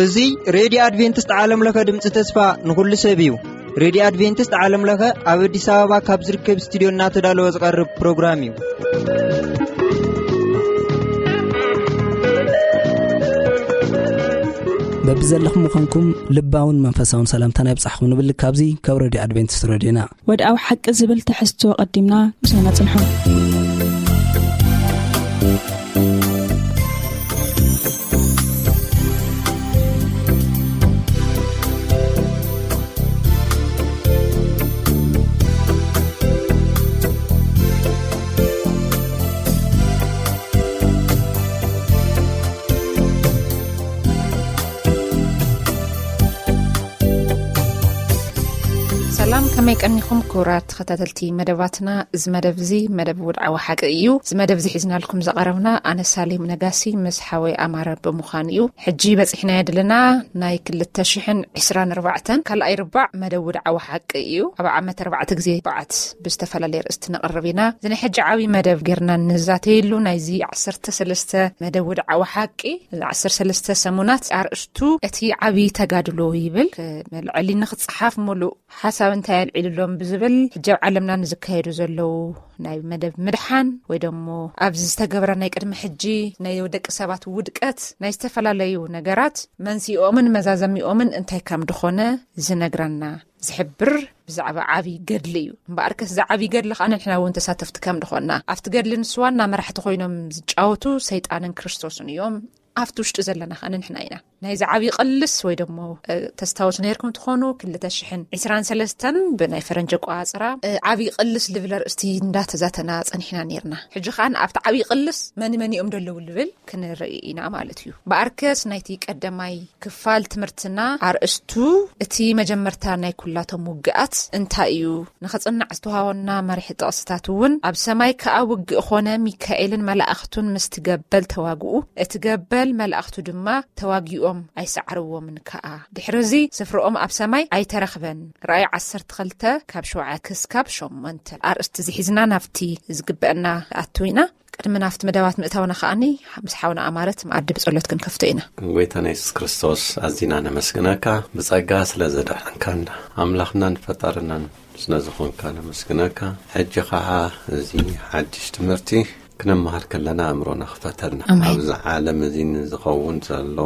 እዚ ሬድዮ ኣድቬንቲስት ዓለም ለኸ ድምፂ ተስፋ ንኹሉ ሰብ እዩ። ሬድዮ ኣድቬንቲስት ዓለም ለኸ ኣብ ኣዲስ ኣበባ ካብ ዝርከብ ስቱዲዮ እናተዳለወ ዝቐርብ ፕሮግራም እዩ። በብዘለኹም ምዃንኩም ልባውን መንፈሳውን ሰላምታና ይብጻሕኹም ንብል ካብዚ ካብ ሬድዮ ኣድቬንቲስት ሬድዮና። ወድኣዊ ሓቂ ዝብል ትሕዝቶ ቀዲምና ምሳና ጽንሑ። ሰላም፣ ከመይ ቀኒኹም ክቡራት ተኸታተልቲ መደባትና? እዚ መደብ እዚ መደብ ውድዓዊ ሓቂ እዩ። እዚ መደብ እዚ ሒዝናልኩም ዝቐረብና ኣነ ሳሌም ነጋሲ ምስ ሓወይ ኣማረ ብምዃን እዩ። ሕጂ በጺሕናዮ ዘለና ናይ ክልተ ሽሕን ዕስራን ኣርባዕተን ካልኣይ ርባዕ መደብ ውድዓዊ ሓቂ እዩ። ኣብ ዓመት ኣርባዕተ ግዜ በዓት ብዝተፈላለየ ርእስቲ ነቕርብ ኢና። እዚ ናይ ሕጂ ዓብዪ መደብ ጌርና ንዛተየሉ ናይዚ ዓሰርተ ሰለስተ መደብ ውድዓዊ ሓቂ፣ እዚ ዓሰርተ ሰለስተ ሰሙናት ኣርእስቱ እቲ ዓብዪ ተጋድሎ ይብል። መልዐሊ ንኽጽሓፍ ሙሉእ ሓሳብ እንታይ ኣልዒሉሎም ብዝብል ሕጂ ኣብ ዓለምና ንዝካየዱ ዘለዉ ናይ መደብ ምድሓን ወይ ደሞ ኣብዚ ዝተገብረ ናይ ቅድሚ ሕጂ ናይ ደቂ ሰባት ውድቀት ናይ ዝተፈላለዩ ነገራት መንስኤኦምን መዛዘሚኦምን እንታይ ከም ድኾነ ዝነግረና ዝሕብር ብዛዕባ ዓብዪ ገድሊ እዩ። እምበኣርከስ እዚ ዓብዪ ገድሊ ከዓ ንሕና እውን ተሳተፍቲ ከም ድኾንና ኣብቲ ገድሊ ንሱ ዋና መራሕቲ ኮይኖም ዝጫወቱ ሰይጣንን ክርስቶስን እዮም። ኣብቲ ውሽጢ ዘለና ከኣ ንሕና ኢና። ናይዚ ዓብዪ ቅልስ ወይ ደሞ፣ እ፣ ተስታውሱ ነይርኩም ትኾኑ፣ ክልተ ሽሕን ዕስራን ሰለስተን ብናይ ፈረንጂ ኣቆጻጽራ፣ እ፣ ዓብዪ ቅልስ ልብል ኣርእስቲ እንዳተዛተና ጸኒሕና ነይርና። ሕጂ ከኣ ኣብቲ ዓብዪ ቅልስ መን መን እዮም ደለዉ ልብል ክንርኢ ኢና ማለት እዩ። ብኣርከስ ናይቲ ቀዳማይ ክፋል ትምህርትና ኣርእስቱ እቲ መጀመርታ ናይ ኩላቶም ውግኣት እንታይ እዩ? ንኸጽናዕ ዝተዋሃበና መሪሕ ጥቕስታት እውን ኣብ ሰማይ ከኣ ውግእ ኾነ፣ ሚካኤልን መላእኽቱን ምስቲ ገበል ተዋግኡ፣ እቲ ገበል መላእኽቱ ድማ ተዋጊኦም ኣይሰዓርዎምን ከኣ። ድሕሪ እዚ ስፍርኦም ኣብ ሰማይ ኣይተረኽበን። ራእይ ዓሰርተ ክልተ ካብ ሸውዓተ ክስካብ ሸሞንተ። ኣርእስቲ እዚ ሒዝና ናብቲ ዝግበአና ኣቱ ኢና። ቅድሚ ናብቲ መደባት ምእታውና ከኣኒ ምስ ሓውና ኣማረት መኣዲ ብጸሎት ክንከፍቶ ኢና። ጎይታና የሱስ ክርስቶስ ኣዚና ነመስግነካ። ብጸጋ ስለ ዘድሓንካና ኣምላኽናን ፈጣርናን ስለ ዝኾንካ ነመስግነካ። ሕጂ ኸዓ እዚ ሓድሽ ትምህርቲ ክንመሃር ከለና ኣእምሮና ክፈተልና። ኣሜን። ኣብዚ ዓለም እዚ ንዝኸውን ዘሎ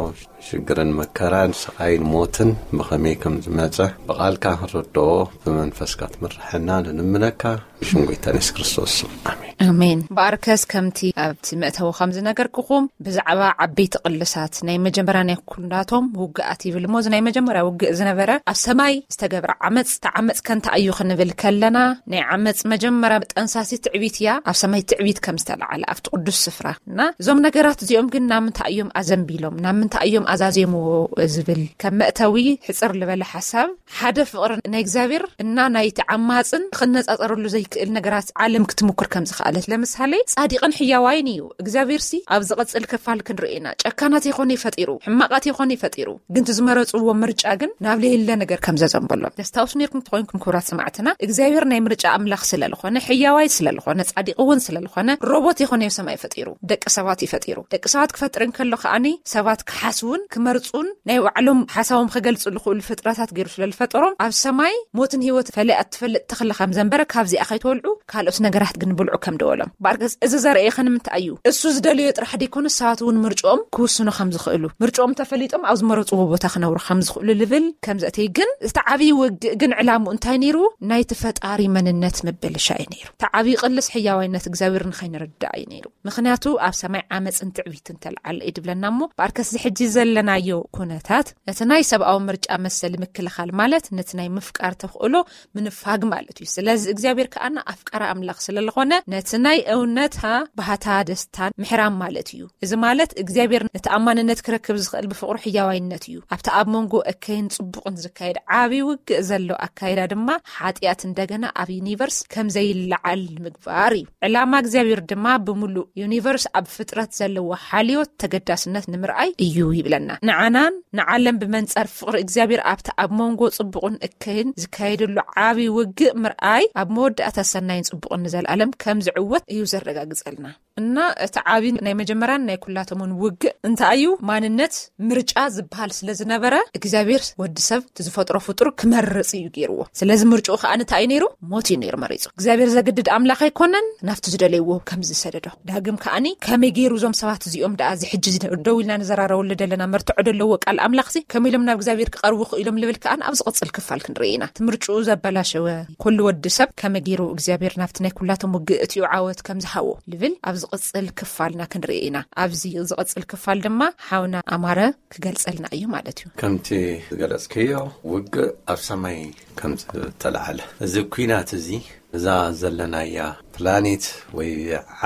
ሽግርን መከራን ስቓይን ሞትን ብኸመይ ከም ዝመጸ ብቓልካ ክንርድኦ ብመንፈስካ ትምርሐና ንልምነካ። ብሽም ጎይታ የሱስ ክርስቶስ ስም። ኣሜን። ኣሜን። ብኣርከስ ከምቲ ኣብቲ መእተዊ ከም ዝነገርኩኹም ብዛዕባ ዓበይቲ ቅልሳት ናይ መጀመርያ ናይ ኩላቶም ውግኣት ይብል እሞ፣ እዚ ናይ መጀመርያ ውግእ ዝነበረ ኣብ ሰማይ ዝተገብረ ዓመፅ፣ እቲ ዓመፅ ከ እንታይ እዩ ክንብል ከለና፣ ናይ ዓመፅ መጀመርያ ጠንሳሲ ትዕቢት እያ። ኣብ ሰማይ ትዕቢት ከም ዝተለዓለ ኣብቲ ቅዱስ ስፍራ እና እዞም ነገራት እዚኦም ግን ናብ ምንታይ እዮም ኣዘንቢሎም፣ ናብ ምንታይ እዮም ኣዛዜምዎ ዝብል ከም መእተዊ ሕፅር ዝበለ ሓሳብ ሓደ ፍቕሪ ናይ እግዚኣብሔር እና ናይቲ ዓማጽን ክነጻጸረሉ ዘይክእል ነገራት ዓለም ክትምኩር ከም ዝኸኣለት። ለምሳሌ፣ ጻዲቕን ሕያዋይን እዩ። እግዚኣብሔርሲ ኣብ ዝቐጽል ክፋል ክንርኢ ኢና። ጨካናት ይኾነ ፈጢሩ፣ ሕማቓት ይኾነ ፈጢሩ። ግን እቲ ዝመረጽዎ ምርጫ ግን ናብ ለየለ ነገር ከም ዘዘንበሎም። ተስታውሱ ነርኩም ተኾይንኩም ክቡራት ሰማዕትና፣ እግዚኣብሔር ናይ ምርጫ ኣምላኽ ስለ ዝኾነ፣ ሕያዋይ ስለ ዝኾነ፣ ጻዲቕ እውን ስለ ዝኾነ፣ ሮቦት ይኾነ ሰማይ ፈጢሩ፣ ደቂ ሰባት እዩ ፈጢሩ። ደቂ ሰባት ክፈጥር እንከሎ ከኣኒ ሰባት ክሓስቡን ክመርጹን ናይ ባዕሎም ሓሳቦም ክገልጹ ዝኽእሉ ፍጥረታት ገይሩ ስለ ዝፈጠሮም፣ ኣብ ሰማይ ሞትን ህይወት ፈሊያ እትፈልጥ ተኽሊ ከም ዘንበረ፣ ካብዚኣ ከይትበልዑ ካልኦት ነገራት ግን ብልዑ ከም ደወሎም። በኣርከስ እዚ ዘርእየኸ ንምንታይ እዩ? እሱ ዝደለዮ ጥራሕ ደይኮነ ሰባት እውን ምርጭኦም ክውስኑ ከም ዝኽእሉ፣ ምርጭኦም ተፈሊጦም ኣብ ዝመረጽዎ ቦታ ክነብሩ ከም ዝኽእሉ ልብል ከም ዘእተይ ግን እቲ ዓብዪ ውግእ ግን ዕላምኡ እንታይ ነይሩ? ናይቲ ፈጣሪ መንነት ምብልሻ እዩ ነይሩ። እቲ ዓብዪ ቅልስ ሕያዋይነት እግዚኣብሔር ንኸይንርዳእ እዩ ነይሩ። ምኽንያቱ ኣብ ሰማይ ዓመፅን ትዕቢትን ተልዓለ እዩ ድብለና እሞ፣ በኣርከስ እዚ ሕጂ ዘለናዮ ኩነታት ነቲ ናይ ሰብኣዊ ምርጫ መሰል ምክልኻል ማለት ነቲ ናይ ምፍቃር ተኽእሎ ምንፋግ ማለት እዩ። ስለዚ እግዚኣብሔር ከኣና ኣፍቃሪ ኣምላኽ ስለ ዝኾነ ነቲ ናይ እውነታ ባህታ ደስታን ምሕራም ማለት እዩ። እዚ ማለት እግዚኣብሔር ንተኣማንነት ክረክብ ዝኽእል ብፍቕሩ ሕያዋይነት እዩ። ኣብቲ ኣብ መንጎ እከይን ጽቡቕን ዝካየድ ዓብዪ ውግእ ዘሎ ኣካይዳ ድማ ሓጢኣት እንደገና ኣብ ዩኒቨርስ ከም ዘይለዓል ንምግባር እዩ። ዕላማ እግዚኣብሔር ድማ ብምሉእ ዩኒቨርስ ኣብ ፍጥረት ዘለዎ ሓልዮት ተገዳስነት ንምርኣይ እዩ ይብለና። ንዓናን ንዓለም ብመንጸር ፍቕሪ እግዚኣብሔር ኣብቲ ኣብ መንጎ ጽቡቕን እከይን ዝካየደሉ ዓብዪ ውግእ ምርኣይ ኣብ መወዳእታ ሰናይን ጽቡቕን ንዘለኣለም ከም ዝዕወት እዩ ዘረጋግጸልና። እና እቲ ዓቢ ናይ መጀመርያን ናይ ኩላቶምን ውግእ እንታይ እዩ? ማንነት ምርጫ ዝበሃል ስለ ዝነበረ እግዚኣብሔር ወዲ ሰብ እቲ ዝፈጥሮ ፍጡር ክመርጽ እዩ ገይርዎ። ስለዚ ምርጫኡ ከኣ እንታይ እዩ ነይሩ? ሞት እዩ ነይሩ መሪጹ። እግዚኣብሔር ዘግድድ ኣምላኽ ኣይኮነን፣ ናብቲ ዝደለይዎ ከም ዝሰደዶ። ዳግም ከኣኒ ከመይ ገይሩ እዞም ሰባት እዚኦም ደኣ እዚ ሕጂ እዚ ደው ኢልና ንዘራረበሉ ዘለና መርትዖ ደለዎ ቃል ኣምላኽሲ ከመይ ኢሎም ናብ እግዚኣብሔር ክቐርቡ ክኢሎም ልብል ከኣን ኣብ ዝቕጽል ክፋል ክንርኢ ኢና። እቲ ምርጫኡ ዘበላሸወ ኩሉ ወዲ ሰብ ከመይ ገይሩ እግዚኣብሔር ናብቲ ናይ ኩላቶም ውግእ እቲኡ ዓወት ከም ዝሃቦ ልብል ኣብ ዝቕጽል ክፋልና ክንርኢ ኢና። ኣብዚ ዝቕጽል ክፋል ድማ ሓውና ኣማረ ክገልጸልና እዩ ማለት እዩ። ከምቲ ዝገለጽክዮ ውግእ ኣብ ሰማይ ከም ዝተለዓለ እዚ ኲናት እዚ እዛ ዘለናያ ፕላኔት ወይ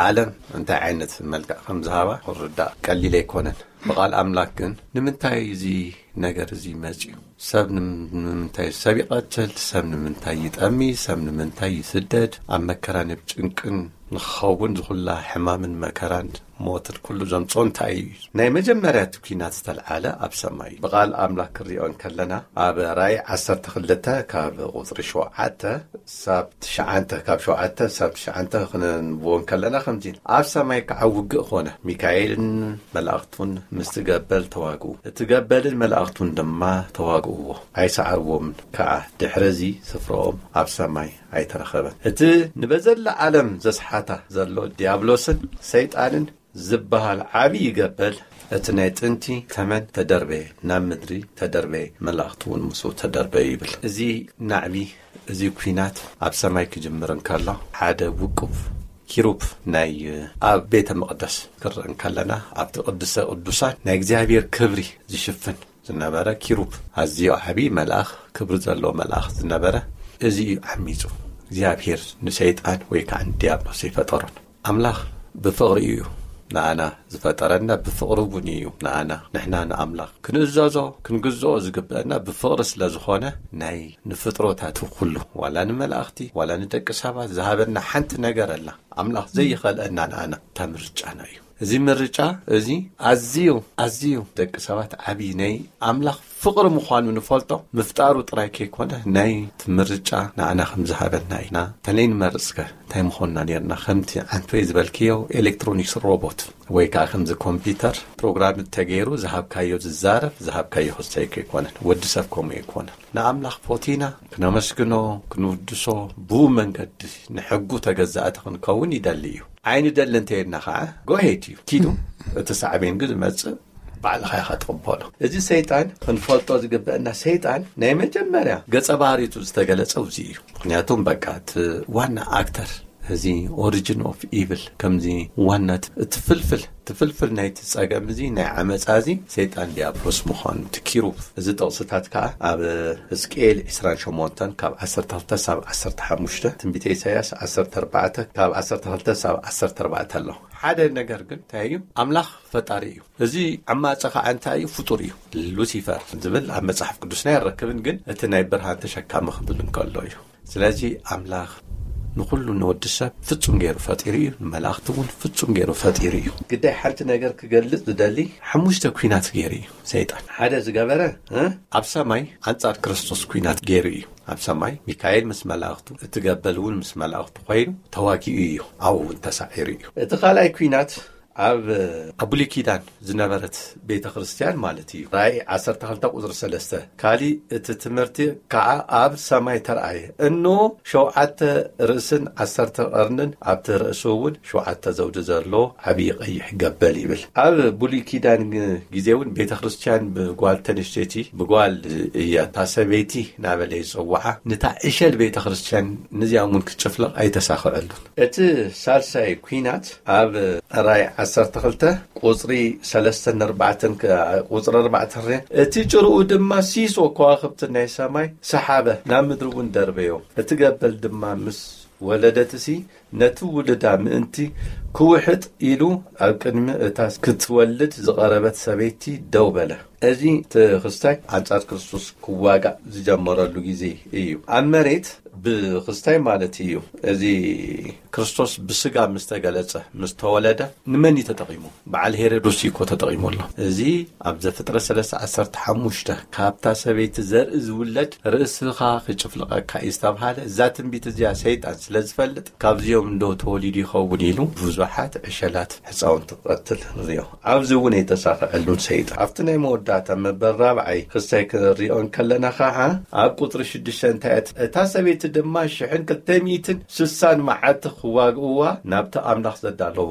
ዓለም እንታይ ዓይነት መልክዕ ከም ዝሃባ ክርዳእ ቀሊል ኣይኮነን። ብቓል ኣምላክ ግን ንምንታይ እዚ ነገር እዚ መጽዩ? ሰብ ንምንታይ ሰብ ይቐትል? ሰብ ንምንታይ ይጠሚ? ሰብ ንምንታይ ይስደድ? ኣብ መከራን ኣብ ጭንቅን ንክኸውን ዝኹላ ሕማምን መከራን ሞትን ኩሉ ዘምጾ እንታይ እዩ? ናይ መጀመርያ እቲ ኲናት ዝተልዓለ ኣብ ሰማይ እዩ። ብቓል ኣምላክ ክንሪኦ እንከለና ኣብ ራእይ ዓሰርተ ክልተ ካብ ቁጽሪ ሸውዓተ ሳብ ትሽዓንተ ካብ ሸውዓተ ሳብ ትሽዓንተ ክንንብቦ እንከለና ከምዚ ኣብ ሰማይ ከዓ ውግእ ኾነ። ሚካኤልን መላእኽቱን ምስቲ ገበል ተዋግኡ። እቲ ገበልን መላእኽቱን ድማ ተዋግእዎ፣ ኣይሰዓርዎምን ከዓ። ድሕርዚ ስፍራኦም ኣብ ሰማይ ኣይተረኸበን። እቲ ንበዘላ ዓለም ዘስሓታ ዘሎ ዲያብሎስን ሰይጣንን ዝበሃል ዓብዪ ገበል እቲ ናይ ጥንቲ ተመን ተደርበየ፣ ናብ ምድሪ ተደርበየ፣ መላእኽቱ እውን ምስኡ ተደርበዩ ይብል። እዚ ናዕቢ እዚ ኲናት ኣብ ሰማይ ክጅምር እንከሎ ሓደ ውቁብ ኪሩብ ናይ ኣብ ቤተ መቕደስ ክርእ እንከለና ኣብቲ ቅዱሰ ቅዱሳን ናይ እግዚኣብሔር ክብሪ ዝሽፍን ዝነበረ ኪሩብ ኣዝዮ ዓብዪ መልኣኽ ክብሪ ዘለዎ መልኣኽ ዝነበረ እዚ እዩ ዓሚፁ እግዚኣብሔር ንሰይጣን ወይ ከዓ ንዲያብሎስ ይፈጠሮን ኣምላኽ ብፍቕሪ እዩ ንኣና ዝፈጠረና ብፍቕሪ እውን እዩ ንኣና ንሕና ንኣምላኽ ክንእዘዞ ክንግዝኦ ዝግብአና ብፍቕሪ ስለ ዝኾነ ናይ ንፍጥሮታቱ ኩሉ ዋላ ንመላእኽቲ ዋላ ንደቂ ሰባት ዝሃበና ሓንቲ ነገር ኣላ ኣምላኽ ዘይኸልአና ንኣና እታ ምርጫና እዩ እዚ ምርጫ እዚ ኣዝዩ ኣዝዩ ደቂ ሰባት ዓብዪ ናይ ኣምላኽ ፍቕሪ ምዃኑ ንፈልጦ ምፍጣሩ ጥራይ ከይኮነ ናይ ምርጫ ንኣና ከም ዝሃበና ኢና ተለይ ንመርፅከ እንታይ ምኾንና ነርና ከምቲ ዓንቶይ ዝበልክዮ ኤሌክትሮኒክስ ሮቦት ወይ ከዓ ከምዚ ኮምፒውተር ፕሮግራም ተገይሩ ዝሃብካዮ ዝዛረብ ዝሃብካዮ ክስተይ ከይኮነን ወዲ ሰብ ከምኡ ኣይኮነን ንኣምላኽ ፎቲና ክነመስግኖ ክንውድሶ ብኡ መንገዲ ንሕጉ ተገዛእቲ ክንከውን ይደሊ እዩ ኣይንደሊ እንተየድና ከዓ ጎሄድ እዩ ኪዱ እቲ ሳዕቤን ግን ዝመፅእ ባዕልኻ ኢኻ ትቕበሎ እዚ ሰይጣን ክንፈልጦ ዝግበአና ሰይጣን ናይ መጀመርያ ገፀ ባህሪቱ ዝተገለፀ ውዚ እዩ ምክንያቱም በቃ እቲ ዋና ኣክተር እዚ ኦሪጅን ኦፍ ኢቭል ከምዚ ዋና እቲ ፍልፍል እቲ ፍልፍል ናይቲ ፀገም እዚ ናይ ዓመፃ እዚ ሰይጣን ዲያብሎስ ምዃኑ እቲ ኪሩብ እዚ ጥቕስታት ከዓ ኣብ ህዝቅኤል ዕስራን ሸሞንተን ካብ ዓሰርተ ክልተ ሳብ ዓሰርተ ሓሙሽተ ትንቢተ ኢሳያስ ዓሰርተ ኣርባዕተ ካብ ዓሰርተ ክልተ ሳብ ዓሰርተ ኣርባዕተ ኣሎ ሓደ ነገር ግን እንታይ እዩ ኣምላኽ ፈጣሪ እዩ እዚ ዓማፀ ከዓ እንታይ እዩ ፍጡር እዩ ሉሲፈር ዝብል ኣብ መፅሓፍ ቅዱስና ይረክብን ግን እቲ ናይ ብርሃን ተሸካሚ ክብል እንከሎ እዩ ስለዚ ኣምላኽ ንኹሉ ንወዲ ሰብ ፍጹም ገይሩ ፈጢሩ እዩ ንመላእኽቲ እውን ፍጹም ገይሩ ፈጢሩ እዩ ግዳይ ሓንቲ ነገር ክገልጽ ዝደሊ ሓሙሽተ ኲናት ገይሩ እዩ ሰይጣን ሓደ ዝገበረ ኣብ ሰማይ ኣንጻር ክርስቶስ ኲናት ገይሩ እዩ ኣብ ሰማይ ሚካኤል ምስ መላእኽቱ እቲ ገበል እውን ምስ መላእኽቱ ኮይኑ ተዋጊኡ እዩ ኣብኡ እውን ተሳዒሩ እዩ እቲ ካልኣይ ኲናት ኣብ ኣብ ብሉይ ኪዳን ዝነበረት ቤተ ክርስቲያን ማለት እዩ። ራእይ ዓሰርተ ክልተ ቁጽሪ ሰለስተ ካሊእ እቲ ትምህርቲ ከዓ ኣብ ሰማይ ተረኣየ፣ እኖ ሸውዓተ ርእስን ዓሰርተ ቀርንን ኣብቲ ርእሱ እውን ሸውዓተ ዘውዲ ዘሎ ዓብዪ ቀይሕ ገበል ይብል። ኣብ ብሉይ ኪዳን ግዜ እውን ቤተ ክርስቲያን ብጓል ተንሽተይቲ ብጓል እያ እታ ሰበይቲ እናበለ ይፅውዓ። ንታ ዕሸል ቤተ ክርስቲያን ንዚኣም እውን ክትጭፍለቕ ኣይተሳኽዐሉን። እቲ ሳልሳይ ኲናት ኣብ ራእይ ዓሰርተ ክልተ ቁጽሪ ሰለስተን ኣርባዕተን ቁጽሪ ኣርባዕተ ርያ እቲ ጭርኡ ድማ ሲሶ ከዋኽብቲ ናይ ሰማይ ሰሓበ ናብ ምድሪ እውን ደርበዮ እቲ ገበል ድማ ምስ ወለደትሲ ነቲ ውልዳ ምእንቲ ክውሕጥ ኢሉ ኣብ ቅድሚ እታ ክትወልድ ዝቐረበት ሰበይቲ ደው በለ። እዚ እቲ ክስታይ ኣንጻር ክርስቶስ ክዋጋእ ዝጀመረሉ ግዜ እዩ። ኣብ መሬት ብክስታይ ማለት እዩ። እዚ ክርስቶስ ብስጋ ምስ ተገለጸ፣ ምስ ተወለደ፣ ንመን እዩ ተጠቒሙ? በዓል ሄሮድስ እዩ እኮ ተጠቒሙ ኣሎ። እዚ ኣብ ዘፍጥረት ሰለስተ ዓሰርተ ሓሙሽተ፣ ካብታ ሰበይቲ ዘርኢ ዝውለድ ርእስኻ ክጭፍልቐካ እዩ ዝተብሃለ፣ እዛ ትንቢት እዚኣ ሰይጣን ስለ ዝፈልጥ፣ ካብዚኦም እንዶ ተወሊዱ ይኸውን ኢሉ ብዙሓት ዕሸላት ህፃውንቲ ክቐትል ንሪኦ። ኣብዚ እውን የተሳኽዐሉን ሰይጣን። ኣብቲ ናይ መወዳእታ መበል ራብዓይ ክስታይ ክንሪኦ እንከለና ከዓ፣ ኣብ ቁፅሪ ሽዱሽተ እንታይ እት-፣ እታ ሰበይቲ ድማ ሽሕን ክልተ ሚእትን ስሳን መዓልቲ ክዋግእዋ ናብቲ ኣምላኽ ዘዳለዎ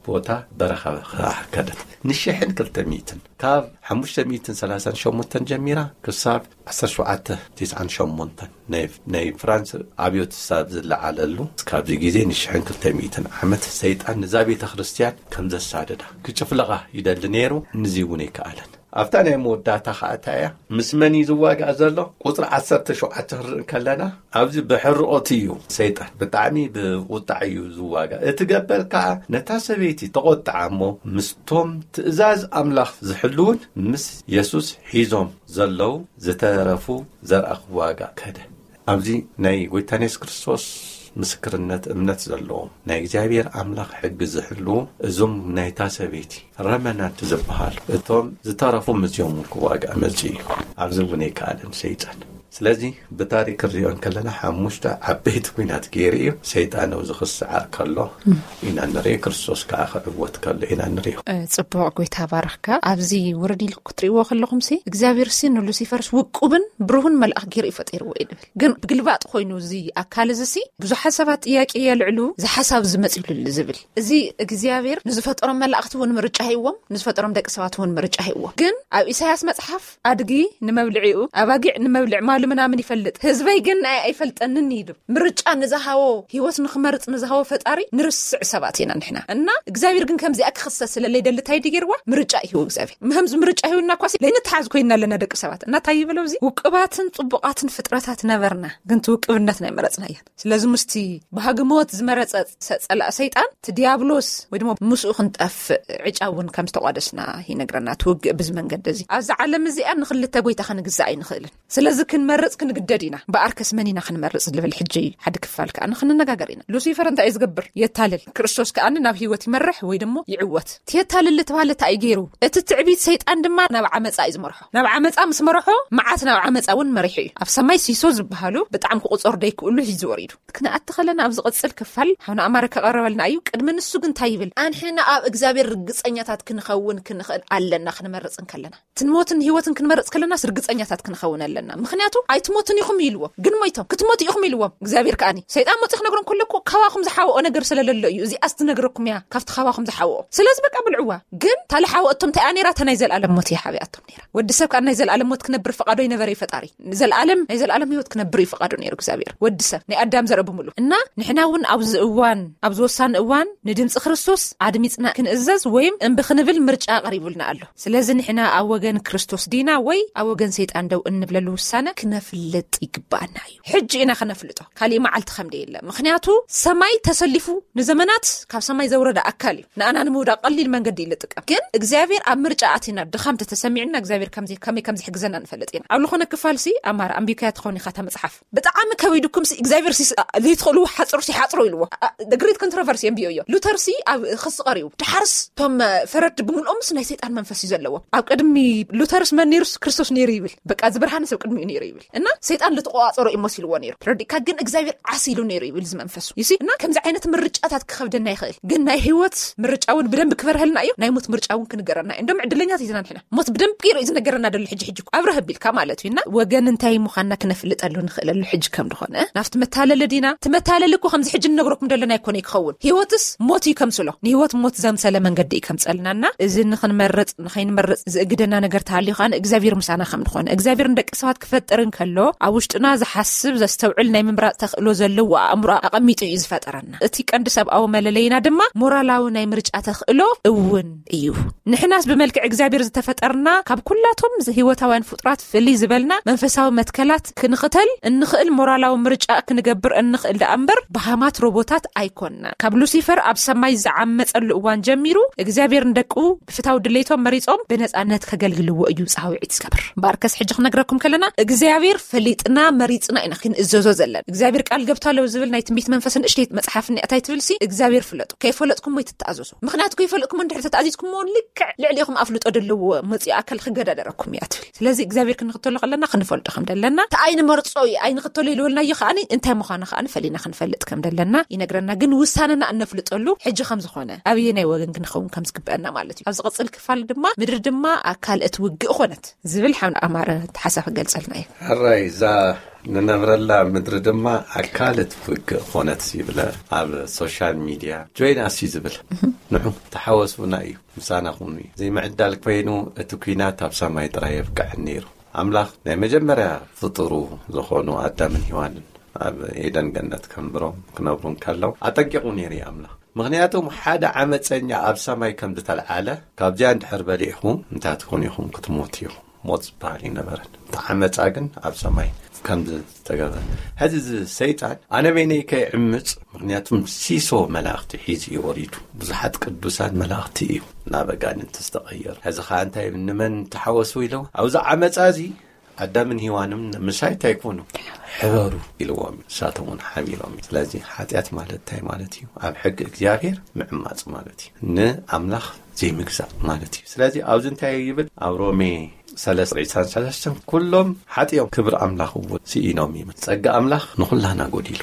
ቦታ በረኻ ከዓ ከደት። ንሽሕን ክልተ ሚእትን፣ ካብ ሓሙሽተ ሚእትን ሰላሳን ሸሞንተን ጀሚራ ክሳብ ዓሰርተ ሸውዓተ ተስዓን ሸሞንተን ናይ፣ ናይ ፍራንስ ኣብዮት ሳብ ዝለዓለሉ፣ ካብዚ ግዜ ንሽሕን ክልተ ሚእትን ዓመት ሰይጣን ንዛ ቤተ ክርስቲያን ከም ዘሳደዳ ክጭፍለቓ ይደሊ ነይሩ። ንዚ እውን ኣይከኣለን። ኣብታ ናይ መወዳእታ ከዓ እንታይ እያ? ምስ መን እዩ ዝዋጋእ ዘሎ? ቁፅሪ ዓሰርተ ሸውዓተ ክንርኢ ከለና፣ ኣብዚ ብሕርኦት እዩ ሰይጣን፣ ብጣዕሚ ብቁጣዕ እዩ ዝዋጋእ። እቲ ገበል ከዓ ነታ ሰበይቲ ተቆጥዓ እሞ፣ ምስቶም ትእዛዝ ኣምላኽ ዝሕልውን ምስ የሱስ ሒዞም ዘለዉ ዝተረፉ ዘርኣ ክዋጋእ ከደ። ኣብዚ ናይ ጎይታና የሱስ ክርስቶስ ምስክርነት እምነት ዘለዎም፣ ናይ እግዚኣብሔር ኣምላኽ ሕጊ ዝሕልዉ፣ እዞም ናይታ ሰበይቲ ረመናንት ዝበሃሉ፣ እቶም ዝተረፉ ምስዚኦም እውን ክዋጋእ መጺኡ እዩ። ኣብዚ እውን ኣይከኣለን ሰይጣን። ስለዚ ብታሪክ ክንሪኦ እንከለና፣ ሓሙሽተ ዓበይቲ ኲናት ገይሩ እዩ። ሰይጣን ኣብዚ ክስዓር ከሎ ኢና ንርኢ፣ ክርስቶስ ከዓ ክዕወት ከሎ ኢና ንሪኦ። እ፣ ጽቡቕ፣ ጎይታ ባርኽካ። ኣብዚ ውርድ ኢልኩ ክትርእይዎ ከለኹምሲ፣ እግዚኣብሔር ሲ ንሉሲፈርስ ውቁብን ብሩህን መልኣኽ ገይሩ እዩ ፈጢርዎ እዩ ድብል። ግን ብግልባጥ ኮይኑ እዚ ኣካል እዚ ሲ ብዙሓት ሰባት ጥያቄ የልዕሉ፣ እዚ ሓሳብ እዚ መጺሉሉ ዝብል። እዚ እግዚኣብሔር ንዝፈጠሮም መላእኽቲ እውን ምርጫ ሂዎም፣ ንዝፈጠሮም ደቂ ሰባት እውን ምርጫ ሂዎም። ግን ኣብ ኢሳያስ መጽሓፍ ኣድጊ ንመብልዒኡ፣ ኣባጊዕ ንመብልዕ ማሉ ምናምን ይፈልጥ፣ ህዝበይ ግን ናይ ኣይፈልጠንን እዩ ድብል። ምርጫ ንዝሃቦ፣ ህይወት ንኽመርጽ ንዝሃቦ ፈጣሪ ንርስዕ ሰባት ኢና ንሕና። እና እግዚኣብሔር ግን ከምዚኣ ክኽሰስ ስለለይደሊ እንታይ ድዩ ገይርዋ? ምርጫ ይህቡ እግዚኣብሔር። ምህምዚ ምርጫ ይህቡና እኳ ሲ ለይንተሓዝ ኮይንና ኣለና ደቂ ሰባት። እና እንታይ ይብል ኣብዚ? ውቅባትን ጽቡቓትን ፍጥረታት ነበርና፣ ግን እቲ ውቅብነት ናይ መረጽና እያ። ስለዚ ምስቲ ባህጊ ሞት ዝመረጸ ሰ-፣ ጸላእ ሰይጣን፣ እቲ ዲያብሎስ ወይ ድማ ምስኡ ክንጠፍእ ዕጫ እውን ከም ዝተቋደስና ይነግረና። እቲ ውግእ ብዚ መንገዲ እዚ። ኣብዛ ዓለም እዚኣ ንኽልተ ጎይታ ክንግዛእ ኣይንኽእልን። ስለዚ ክንመርጽ ክንግደድ ኢና። እምበኣርከስ መን ኢና ክንመርጽ ዝብል ሕጂ ሓደ ክፋል ከኣ ንክንነጋገር ኢና። ሉሲፈር እንታይ እዩ ዝገብር? የታልል። ክርስቶስ ከኣ ናብ ህይወት ይመርሕ ወይ ደሞ ይዕወት። እቲ የታልል ዝተባህለ እንታይ እዩ ገይሩ? እቲ ትዕቢት ሰይጣን ድማ ናብ ዓመጻ እዩ ዝመርሖ። ናብ ዓመጻ ምስ መርሖ፣ መዓት ናብ ዓመጻ እውን መሪሑ እዩ። ኣብ ሰማይ ሲሶ ዝበሃሉ ብጣዕሚ ክቁጸሩ ደይክእሉ ሒዙ ወሪዱ። ክንኣቲ ከለና ኣብ ዝቕጽል ክፋል ሓውና ኣማረ ከቐረበልና እዩ። ቅድሚ ንሱ ግን እንታይ ይብል? ኣንሕና ኣብ እግዚኣብሔር ርግጸኛታት ክንኸውን ክንኽእል ኣለና ክንመርጽ እንከለና። ትሞትን ህይወትን ክንመርጽ ከለናስ ርግጸኛታት ክንኸውን ኣለና። ምኽንያቱ ኣይትሞትን ኢኹም ኢልዎም፣ ግን ሞይቶም። ክትሞቱ ኢኹም ኢልዎም። እግዚኣብሔር ከኣኒ ሰይጣን መጺኡ ክነግሮም ከሎ እኮ ካባኹም ዝሓወኦ ነገር ስለለሎ እዩ። እዚኣስ ትነግረኩም እያ ካብቲ ካባኹም ዝሓወኦ። ስለዚ በቃ ብልዕዋ። ግን እታ ልሓወ እቶም እንታይ እያ ነይራ? እታ ናይ ዘለኣለም ሞት እያ ሓቢኣቶም ነይራ። ወዲ ሰብ ከኣ ናይ ዘለኣለም ሞት ክነብር ፍቓዶ ይነበረ እዩ ፈጣሪ። ንዘለኣለም፣ ናይ ዘለኣለም ህይወት ክነብር እዩ ፍቓዶ ነይሩ እግዚኣብሔር። ወዲ ሰብ፣ ናይ ኣዳም ዘርኢ ብምሉ። እና ንሕና እውን ኣብዚ እዋን፣ ኣብዚ ወሳኒ እዋን ንድምፂ ክርስቶስ ኣድሚፅና ክንእዘዝ ወይም እምቢ ክንብል ምርጫ ቀሪቡልና ኣሎ። ስለዚ ንሕና ኣብ ወገን ክርስቶስ ዲና ወይ ኣብ ወገን ሰይጣን ደው እንብለሉ ውሳነ ክነፍልጥ ይግባኣና እዩ። ሕጂ ኢና ክነፍልጦ። ካሊእ መዓልቲ ከም ደየለ። ምኽንያቱ ሰማይ ተሰሊፉ ንዘመናት ካብ ሰማይ ዘውረደ ኣካል እዩ። ንኣና ንምውዳቕ ቀሊል መንገዲ እዩ ዝጥቀም። ግን እግዚኣብሔር ኣብ ምርጫ ኣቲና ድኻም ተተሰሚዕና እግዚኣብሔር ከምዚ፣ ከመይ ከም ዝሕግዘና ንፈልጥ ኢና። ኣብ ዝኾነ ክፋል ሲ ኣማራ ኣንቢብካያ ትኸውን ኢኻ እታ መጽሓፍ። ብጣዕሚ ከቢድኩም ሲ እግዚኣብሔር ሲ ዘይትኽእልዎ ሓጽሩ ሲ ሓጽሩ ኢልዎ። ኣ-፣ ኣ-፣ The Great Controversy ኣንቢዮ እዮ። ሉተር ሲ ኣብ ክሲ ቀሪቡ። ድሓርስ እቶም፣ እ፣ ፈረድቲ ብምልኦምስ ናይ ሰይጣን መንፈስ እዩ ዘለዎ። ኣብ ቅድሚ ሉተርስ መን ነይሩስ? ክርስቶስ ነይሩ ይብል። በቃ እዚ ብርሃንስ ኣብ ቅድሚኡ ነይሩ ይብል። እና ሰይጣን ልትቆጻጸሮ እዩ መሲልዎ ነይሩ። ተረዲእካ? ግን እግዚኣብሔር ዓስ ኢሉ ነይሩ ይብል እዚ መንፈሱ። You see? እና ከምዚ ዓይነት ምርጫታት ክኸብደና ይኽእል። ግን ናይ ህይወት ምርጫ እውን ብደንብ ክበርሀልና እዩ። ናይ ሞት ምርጫ እውን ክንገረና እዩ። እንደውም ዕድለኛት ኢና ንሕና። ሞት ብደንብ ገይሩ እዩ ዝነገረና ደሎ ሕጂ ሕጂ እኮ። ኣብረህ ኣቢልካ ማለት እዩ። እና ወገን እንታይ ምዃንና ክነፍልጠሉ ንኽእለሉ ሕጂ ከም ዝኾነ። ናብቲ መታለሊ ዲና? እቲ መታለሊ እኮ ከምዚ ሕጂ ንነግረኩም ደለና ኣይኮነ ክኸውን። ህይወትስ ሞት እዩ ከምስሎ። ንህይወት ሞት ዘምሰለ መንገዲ እዩ ከምጸልናና። እዚ ንኽንመርጽ፣ ንኸይንመርጽ ዝእግደና ነገር ተሃልዩ ከኣ እግዚኣብሔር ምሳና ከም ዝኾነ። እግዚኣብሔር ንደቂ ሰባት ክፈጥር እንከሎ ኣብ ውሽጥና ዝሓስብ፣ ዘስተውዕል፣ ናይ ምምራጽ ተኽእሎ ዘለዎ ኣእምሮ ኣቐሚጡ እዩ ዝፈጠረና። እቲ ቀንዲ ሰብኣዊ መለለይና ድማ ሞራላዊ ናይ ምርጫ ተኽእሎ እውን እዩ። ንሕናስ ብመልክዕ እግዚኣብሔር ዝተፈጠርና፣ ካብ ኩላቶም ህይወታውያን ፍጡራት ፍልይ ዝበልና መንፈሳዊ መትከላት ክንኽተል እንኽእል ሞራላዊ ምርጫ ክንገብር እንኽእል ደኣ እምበር በሃማት ሮቦታት ኣይኮንናን። ካብ ሉሲፈር ኣብ ሰማይ ዝዓመጸሉ እዋን ጀሚሩ እግዚኣብሔር ንደቁ ብፍታው ድሌቶም መሪጾም ብነጻነት ከገልግልዎ እዩ ጻውዒት ዝገብር። እምበኣርከስ ሕጂ ክነግረኩም ከለና እግዚኣብሔር እግዚኣብሔር ፈሊጥና መሪጽና ኢና ክንእዘዞ ዘለና። እግዚኣብሔር ቃል ገብታ ኣለዉ ዝብል ናይ ትንቢት መንፈስ ንእሽተይ መጽሓፍ እኒኣ እንታይ ትብል ሲ እግዚኣብሔር ፍለጡ። ከይፈለጥኩሞ ኣይትተኣዘዙ። ምኽንያቱ ከይፈለጥኩሞ እንድሕር ተተኣዚዝኩሞ ልክዕ ልዕሊኹም ኣፍልጦ ደለዎ መጺኡ ኣካል ክገዳደረኩም እያ ትብል። ስለዚ እግዚኣብሔር ክንኽተሎ ከለና ክንፈልጦ ከም ደለና፣ እቲ ኣይንመርጾ እዩ ኣይንኽተሎ ኢልወልናዮ ከኣኒ እንታይ ምዃኑ ከኣኒ ፈሊና ክንፈልጥ ከም ደለና ይነግረና። ግን ውሳነና እነፍልጠሉ ሕጂ ከም ዝኾነ ኣብየናይ ወገን ክንኸውን ከም ዝግበአና ማለት እዩ። ኣብ ዝቐጽል ክፋል ድማ ምድሪ ድማ ኣካል እቲ ውግእ ኾነት ዝብል ሓምድ ኣማረ ሓሳብ ክገልጸልና እዩ። ሕራይ እዛ ንነብረላ ምድሪ ድማ ኣካል እቲ ውግእ ኾነት ይብለ ኣብ ሶሻል ሚድያ ጆይን ኣሲ ዝብል ንዑ ተሓወሱና እዩ። ምሳና ኩኑ እዩ። ዘይምዕዳል ኮይኑ እቲ ኲናት ኣብ ሰማይ ጥራይ የብቅዐን ነይሩ። ኣምላኽ ናይ መጀመርያ ፍጡሩ ዝኾኑ ኣዳምን ሔዋንን ኣብ ኤደን ገነት ከንብሮም ክነብሩ እንከለዉ ኣጠንቂቑ ነይሩ እዩ ኣምላኽ። ምኽንያቱም ሓደ ዓመፀኛ ኣብ ሰማይ ከም ዝተልዓለ ካብዚኣ እንድሕር በሊዕኹም እንታይ ትኾኑ ኢኹም? ክትሞቱ ኢኹም። ሞት ዝበሃል ይነበረን። እቲ ዓመፃ ግን ኣብ ሰማይ ከም ዝተገበረ። ሕዚ እዚ ሰይጣን ኣነ በይነይ ከይዕምፅ፣ ምኽንያቱም ሲሶ መላእኽቲ ሒዙ እዩ ወሪዱ። ብዙሓት ቅዱሳን መላእኽቲ እዩ ናብ ኣጋንንቲ ዝተቐየሩ። ሕዚ ኸዓ እንታይ ንመን ተሓወሱ ኢለው ኣብዚ ዓመፃ እዚ ኣዳምን ሔዋንም ምሳይ እንታይ ይኮኑ? ሕበሩ ኢልዎም እዩ። ንሳቶም እውን ሓቢሮም እዩ። ስለዚ ሓጢኣት ማለት እንታይ ማለት እዩ? ኣብ ሕጊ እግዚኣብሔር ምዕማፅ ማለት እዩ። ንኣምላኽ ዘይምግዛእ ማለት እዩ። ስለዚ ኣብዚ እንታይ ይብል? ኣብ ሮሜ ሰለስተ ዒስራን ሰለስተን ኩሎም ሓጢኦም ክብሪ ኣምላኽ እውን ስኢኖም እዩ። ጸጋ ኣምላኽ ንኹላና ጎዲሉ።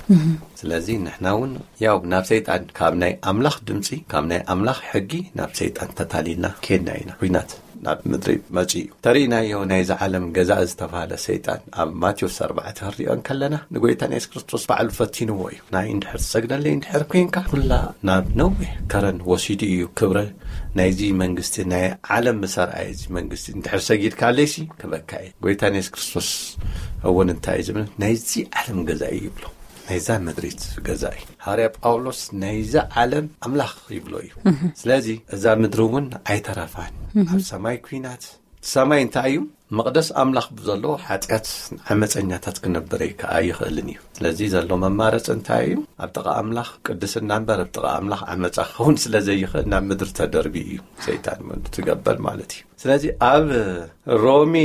ስለዚ ንሕና እውን ያው ናብ ሰይጣን ካብ ናይ ኣምላኽ ድምፂ፣ ካብ ናይ ኣምላኽ ሕጊ ናብ ሰይጣን ተታሊልና ኬድና ኢና። ኲናት ናብ ምድሪ መፂኡ እዩ። ተሪእናዮ ናይዚ ዓለም ገዛኢ ዝተባህለ ሰይጣን ኣብ ማቴዎስ ኣርባዕተ ክንሪኦ እንከለና ንጎይታና የሱስ ክርስቶስ ባዕሉ ፈቲንዎ እዩ። ናይ እንድሕር ትሰግደለይ እንድሕር ኮይንካ ኩላ ናብ ነዊሕ ከረን ወሲዱ እዩ። ክብረ ናይዚ መንግስቲ ናይ ዓለም ምሰርኣይ እዚ መንግስቲ እንድሕር ሰጊድካለይሲ ክበካ እየ። ጎይታና የሱስ ክርስቶስ እውን እንታይ እዩ ዝብል? ናይዚ ዓለም ገዛኢ ይብሎ። ናይዛ ምድሪት ገዛኢ። ሃዋርያ ጳውሎስ ናይዛ ዓለም ኣምላኽ ይብሎ እዩ። ስለዚ እዛ ምድሪ እውን ኣይተረፋን። ኣብ ሰማይ ኲናት። ሰማይ እንታይ እዩ? መቕደስ ኣምላኽ ብዘለዎ ሓጢኣት ዓመፀኛታት ክነብር ኣይከ-፣ ኣይኽእልን እዩ። ስለዚ ዘሎ መማረፂ እንታይ እዩ? ኣብ ጥቓ ኣምላኽ ቅድስና እምበር ኣብ ጥቓ ኣምላኽ ዓመፃ ክኸውን ስለ ዘይኽእል ናብ ምድሪ ተደርቢ እዩ ሰይጣን ትገበል ማለት እዩ። ስለዚ ኣብ ሮሜ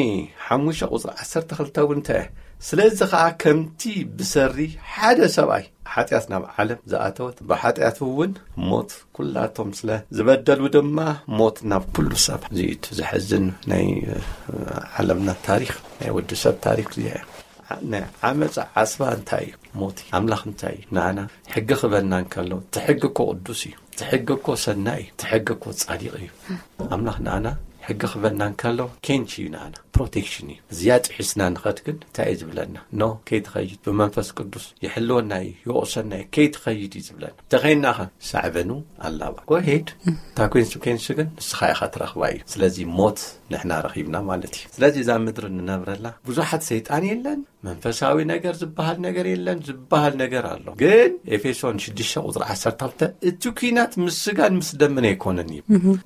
ሓሙሽተ ቁፅሪ ዓሰርተ ክልተ እውን እንታይ? ስለዚ ኸዓ ከምቲ ብሰሪ ሓደ ሰብኣይ ሓጢኣት ናብ ዓለም ዝኣተወት ብሓጢኣት እውን ሞት ኩላቶም ስለ ዝበደሉ ድማ ሞት ናብ ኩሉ ሰብ ዝእቱ። ዘሕዝን ናይ፣ እ፣ ዓለምና ታሪኽ፣ ናይ ወዲ ሰብ ታሪኽ እዚኣ እያ። ዓ-፣ ናይ ዓመፃ ዓስባ እንታይ እዩ? ሞት እዩ። ኣምላኽ እንታይ እዩ? ንኣና ሕጊ ክበና እንከሎ፣ እቲ ሕጊ እኮ ቅዱስ እዩ። እቲ ሕጊ እኮ ሰናይ እዩ። እቲ ሕጊ እኮ ጻዲቕ እዩ። ኣምላኽ ንኣና ሕጊ ክበና እንከሎ፣ ኬንች እዩ ንኣና። ፕሮቴክሽን እዩ። እዚኣ ጥሒስና ንኸድ ግን እንታይ እዩ ዝብለና? ኖ፣ ከይትኸይድ፣ ብመንፈስ ቅዱስ ይሕልወና እዩ፣ ይወቕሰና እዩ፣ ከይትኸይድ እዩ ዝብለና። ተኸይድናኸ? ሳዕበኑ ኣላባ። ጎ ሄድ፣ እታ ኮንስኮንስ ግን ንስኻ ኢኻ ትረኽባ እዩ። ስለዚ ሞት ንሕና ረኺብና ማለት እዩ። ስለዚ እዛ ምድሪ ንነብረላ ብዙሓት ሰይጣን የለን፣ መንፈሳዊ ነገር ዝበሃል ነገር የለን፣ ዝበሃል ነገር ኣሎ። ግን ኤፌሶን ሽዱሽተ ቁጽሪ ዓሰርተ ክልተ እቲ ኲናት ምስ ስጋን ምስ ደምን ኣይኮነን እዩ።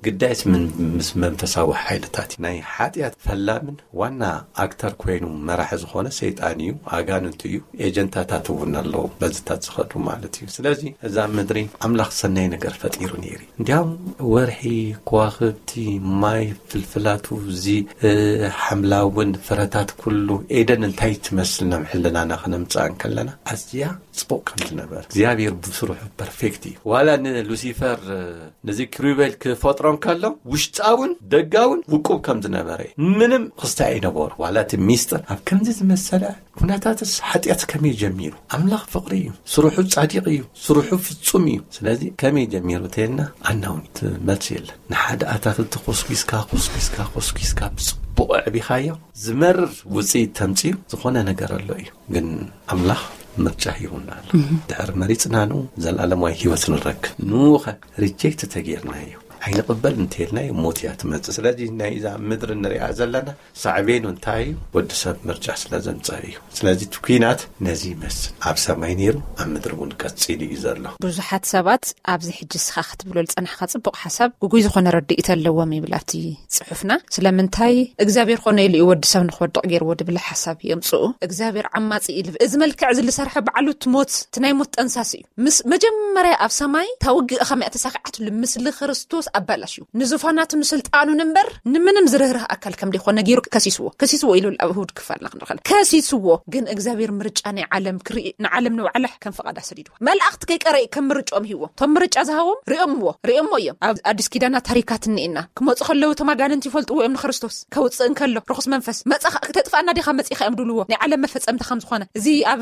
ግዳይስ ምን-፣ ምስ መንፈሳዊ ሓይልታት እዩ። ናይ ሓጢኣት ፈላምን ዋና ኣክተር ኮይኑ መራሒ ዝኾነ ሰይጣን እዩ፣ ኣጋንንቱ እዩ፣ ኤጀንታታት እውን ኣለዉ በዝታት ዝኸዱ ማለት እዩ። ስለዚ እዛ ምድሪ ኣምላኽ ሰናይ ነገር ፈጢሩ ነይሩ እዩ። እንዲያውም ወርሒ፣ ከዋኽብቲ፣ ማይ፣ ፍልፍላቱ፣ እዚ፣ እ፣ ሓምላውን ፍረታት ኩሉ ኤደን እንታይ ትመስል ናብ ሕልናና ክነምጽኣ እንከለና ኣዝያ ጽቡቕ ከም ዝነበር እግዚኣብሔር ብስርሑ ፐርፌክት እዩ። ዋላ ንሉሲፈር፣ እ፣ ነዚ ክሩቤል ክፈጥሮ እንከሎ ውሽጣውን ደጋውን ውቁብ ከም ዝነበረ እዩ። ምንም ክስታይ ኣይነበሩ። ዋላ እቲ ሚስጥር ኣብ ከምዚ ዝመሰለ ኩነታትስ ሓጢኣት ከመይ ጀሚሩ? ኣምላኽ ፍቕሪ እዩ። ስርሑ ጻዲቕ እዩ። ስርሑ ፍጹም እዩ። ስለዚ ከመይ ጀሚሩ ተየልና ኣናውን እቲ መልሲ የለን። ንሓደ ኣታክልቲ ኮስኪስካ፣ ኮስኪስካ፣ ኮስኪስካ ብጽቡቕ ኣዕቢኻዮ ዝመርር ውጽኢት ተምጽኡ ዝኾነ ነገር ኣሎ እዩ። ግን ኣምላኽ ምርጫ ሂቡና ኣሎ። ድሕር መሪጽናኑ ዘላለማዊ ህይወት ንረክብ። ንኡኸ ሪጀክት ተጌርናዮ፣ ኣይንቕበል እንተይልናዮ ሞት እያ ትመጽእ። ስለዚ ናይ እዛ ምድሪ ንሪኣ ዘለና ሳዕቤኑ እንታይ እዩ? ወዲ ሰብ ምርጫ ስለ ዘምጸእ እዩ። ስለዚ እቲ ኲናት ነዚ ይመስል። ኣብ ሰማይ ነይሩ፣ ኣብ ምድሪ እውን ቀጺሉ እዩ ዘሎ። ብዙሓት ሰባት ኣብዚ ሕጂ እስኻ ክትብሎ ዝጸናሕካ ጽቡቕ ሓሳብ ግጉይ ዝኾነ ረድኢት ኣለዎም ይብል ኣብቲ ጽሑፍና። ስለምንታይ እግዚኣብሔር ኮነ ኢሉ እዩ ወዲ ሰብ ንክወድቕ ገይርዎ ድብል ሓሳብ የምጽኡ። እግዚኣብሔር ዓማጺ እዩ ልብል። እዚ መልክዕ እዚ ዝሰርሐ ባዕሉ እቲ ሞት፣ እቲ ናይ ሞት ጠንሳሲ እዩ። ምስ መጀመርያ ኣብ ሰማይ እታ ውግእ ኸመይ እያ ተሳኺዓትሉ? ምስሊ ክርስቶስ ኣባላሽዩ፣ ንዙፋናቱ ንስልጣኑን እምበር ንምንም ዝርህርህ ኣካል ከም ደይኮነ ገይሩ ከሲስዎ። ከሲስዎ ኢሉ ኣብ እሁድ ክፋልና ክንረኸል ከሲስዎ። ግን እግዚኣብሔር ምርጫ ናይ ዓለም ክርኢ፣ ንዓለም ንባዕላ ከም ፈቓዳ ሰዲድዋ። መላእኽቲ ከይቀረዩ ከም ምርጫኦም ሂዎም። እቶም ምርጫ ዝሃቦም ሪኦምዎ፣ ሪኦምዎ እዮም። ኣብ ኣዲስ ኪዳና ታሪካት እኒኤና። ክመፁ ከለዉ እቶም ኣጋንንቲ ይፈልጥዎ እዮም ንክርስቶስ። ከውፅእ እንከሎ ርኹስ መንፈስ፣ "መፃኻ ክተጥፍኣና ዲኻ መፂኻ?" እዮም ድብልዎ። ናይ ዓለም መፈፀምታ ከም ዝኾነ። እዚ ኣብ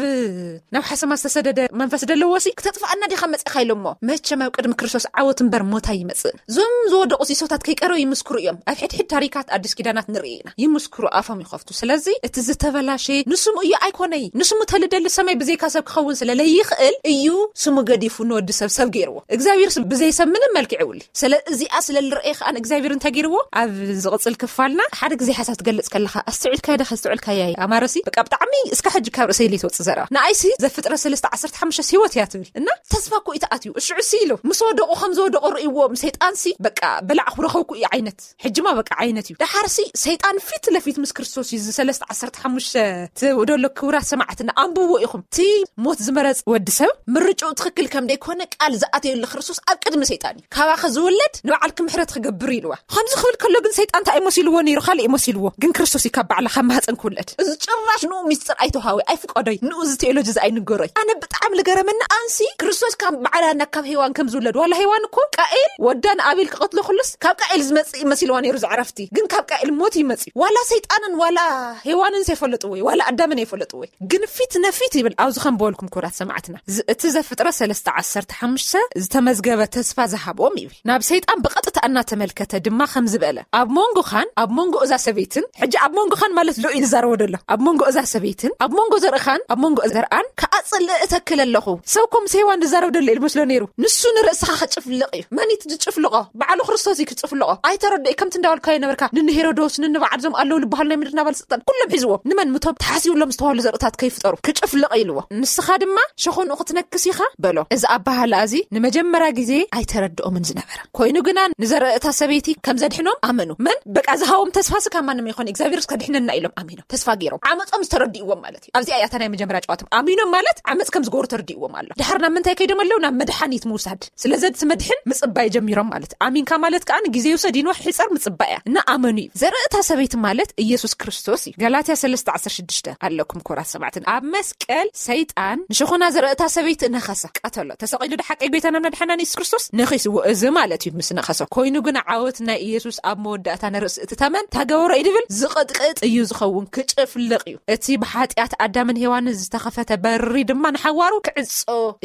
ናብ ሓሰማ ዝተሰደደ መንፈስ ደለዎ ሲ፣ "ክተጥፍኣና ዲኻ መፂኻ?" ኢሎሞ። መቸም ኣብ ቅድሚ ክርስቶስ ዓወት እምበር ሞት ኣይመፅእን። እዞም ዝወደቑ ሲሶታት ከይቀረቡ ይምስክሩ እዮም። ኣብ ሕድሕድ ታሪካት ኣዲስ ኪዳናት ንርኢ ኢና። ይምስክሩ፣ ኣፎም ይኸፍቱ። ስለዚ እቲ ዝተበላሸ ንስሙ እዩ ኣይኮነይ። ንስሙ ተልደሊ ሰማይ ብዘይካ ሰብ ክኸውን ስለ ለይኽእል እዩ ስሙ ገዲፉ ንወዲ ሰብ ሰብ ገይርዎ። እግዚኣብሔር ስ-፣ ብዘይ ሰብ ምንም መልክዕ የብሉ። ስለ እዚኣ ስለ ልረኤ ከኣ እግዚኣብሔር እንታይ ገይርዎ? ኣብ ዝቕጽል ክፋልና ሓደ ግዜ ሓሳብ ትገልጽ ከለኻ ኣስተውዒልካዮ ዶ ከስተውዕልካዮ? ኣማረሲ በቃ ብጣዕሚ እስከ ሕጂ ካብ ርእሰይ ለይትወጽእ ዘረባ። ንኣይሲ ዘፍጥረት ሰለስተ ዓሰርተ ሓሙሽተ ህይወት እያ ትብል። እና ተስፋ እኮ እዩ ተኣትዩ። እሽዑ ሲ ኢሉ ምስ ወደቑ ከም ዝወደቑ ርእይዎም ሰይጣንሲ በቃ በላዕኹ ረኸብኩ እዩ ዓይነት። ሕጂማ በቃ ዓይነት እዩ። ደሓርሲ ሰይጣን ፊት ለፊት ምስ ክርስቶስ እዩ። እዚ ሰለስተ ዓሰርተ ሓሙሽተ ትውደሎ ክቡራት ሰማዕትና ኣንብብዎ ኢኹም። እቲ ሞት ዝመረጽ ወዲ ሰብ ምርጫኡ ትኽክል ከም ደይኮነ ቃል ዝኣተየሉ ክርስቶስ ኣብ ቅድሚ ሰይጣን እዩ። "ካባኸ ዝውለድ ንባዕልኪ ምሕረት ክገብር" ኢልዋ። ከምዚ ክብል ከሎ ግን ሰይጣን እንታይ እዩ መሲልዎ ነይሩ? ካልእ እዩ መሲልዎ። ግን ክርስቶስ እዩ ካብ ባዕላ ካብ ማህፀን ክውለድ። እዚ ጭራሽ ንኡ ሚስጥር ኣይተውሃወ፣ ኣይፍቀዶይ። ንኡ እዚ ቴዎሎጂ እዚ ኣይንገሮይ። ኣነ ብጣዕሚ ልገረመኒ ኣንሲ ክርስቶስ ካብ ባዕላ ናብ ካብ ሄዋን ከም ዝውለድ። ዋላ ሄዋን እኮ ቃኤል ወዳ ንኣቤል ክቐትሎ ክሉስ ካብ ቃኤል ዝመጽእ መሲልዋ ነይሩ ዝዕረፍቲ። ግን ካብ ቃኤል ሞት ይመጽእ። ዋላ ሰይጣንን ዋላ ሄዋንን ዘይፈለጥዎ እዩ። ዋላ ኣዳምን ኣይፈለጥዎ እዩ። ግን ፊት ነፊት ይብል። ኣብዚ ከም በልኩም ክቡራት ሰማዕትና፣ ዝ-፣ እቲ ዘፍጥረት ሰለስተ ዓሰርተ ሓሙሽተ ዝተመዝገበ ተስፋ ዝሃቦም ይብል። ናብ ሰይጣን ብቐጥታ እናተመልከተ ድማ ከም ዝበለ፣ "ኣብ መንጎኻን ኣብ መንጎ እዛ ሰበይትን"፣ ሕጂ ኣብ መንጎኻን ማለት ልኡ እዩ ዝዛረቦ ዘሎ፣ "ኣብ መንጎ እዛ ሰበይትን ኣብ መንጎ ዘርእኻን ኣብ መንጎ ዘርኣን ከኣ ጽልኢ እተክል ኣለኹ"። ሰብ እኮ ምስ ሄዋን ዝዛረብ ዘሎ ኢሉ መስሎ ነይሩ። ንሱ ንርእስኻ ክጭፍልቕ እዩ። መን እዩ ዝጭፍልቖ? ባዕሉ ክርስቶስ እዩ ክጭፍልቖ። ኣይተረድእ ከምቲ እንዳበልካዮ ነበርካ። ንንሄሮዶስ፣ ንንባዕል ዞም ኣለዉ ልበሃሉ ናይ ምድር ናባል ስልጣን ኩሎም ሒዝዎም። ንመን ምቶም ተሓሲብሎም ዝተባህሉ ዘርእታት ከይፍጠሩ ክጭፍልቕ ኢልዎ። ንስኻ ድማ ሸኾንኡ ክትነክስ ኢኻ በሎ። እዚ ኣባሃላ እዚ ንመጀመርያ ግዜ ኣይተረድኦምን ዝነበረ። ኮይኑ ግና ንዘርእታ ሰበይቲ ከም ዘድሕኖም ኣመኑ። መን? በቃ ዝሃቦም ተስፋ ስካ ማንም ይኾን እግዚኣብሔር ከድሕነና ኢሎም ኣሚኖም ተስፋ ገይሮም ዓመጾም ዝተረድእዎም ማለት እዩ። ኣብዚኣ እያ እታ ናይ መጀመርያ ጨዋቶም። ኣሚኖም ማለት ዓመጽ ከም ዝገብሩ ተረድእዎም ኣሎ። ድሓር ናብ ምንታይ ከይዶም ኣለዉ? ናብ መድሓኒት ምውሳድ። ስለዚ እቲ መድሕን ምጽባይ ጀሚሮም ማለት እዩ። ኣሚንካ ማለት ከኣ ግዜ ይውሰድ ይንዋሕ ይሕጸር ምጽባይ እያ። እና ኣመኑ እዩ። ዘርእታ ሰበይቲ ማለት ኢየሱስ ክርስቶስ እዩ። ገላትያ ሰለስተ ዓሰርተ ሽዱሽተ ኣለኩም ክቡራት ሰማዕትና። ኣብ መስቀል ሰይጣን ንሸኾና ዘርእታ ሰበይቲ ነኸሰ፣ ቀተሎ። ተሰቒሉ ዶ ሓቂ ጎይታና መድሓናን ኢየሱስ ክርስቶስ ነኺስዎ። እዚ ማለት እዩ ምስ ነኸሰ። ኮይኑ ግን ዓወት ናይ ኢየሱስ ኣብ መወዳእታ ንርእሲ እቲ ተመን ታገበሮ እዩ ድብል ዝቕጥቅጥ እዩ ዝኸውን፣ ክጭፍልቕ እዩ። እቲ ብሓጢኣት ኣዳምን ሄዋንን ዝተኸፈተ በሪ ድማ ንሓዋሩ ክዕጾ